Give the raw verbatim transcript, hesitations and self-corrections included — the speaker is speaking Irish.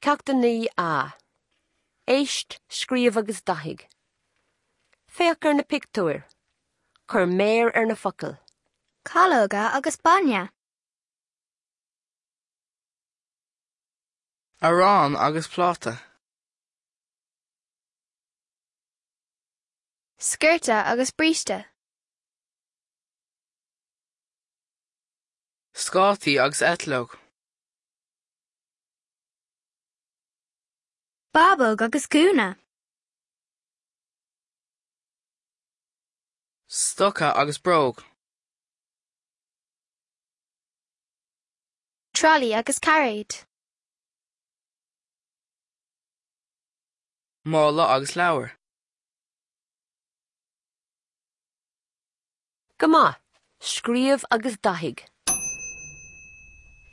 Ceacht a naoi A. Éist, scríobh agus dathaigh. Féach ar na pictiúir. Cuir méar ar na focail. Calóga agus bainne. Arán agus pláta. Sciorta agus bríste. Scátaí agus eitleog. Bábóg agus gúna. Stoca agus bróg. Trolley agus cairéad. Mála agus leabhar. Go maith, scríobh agus dathaigh.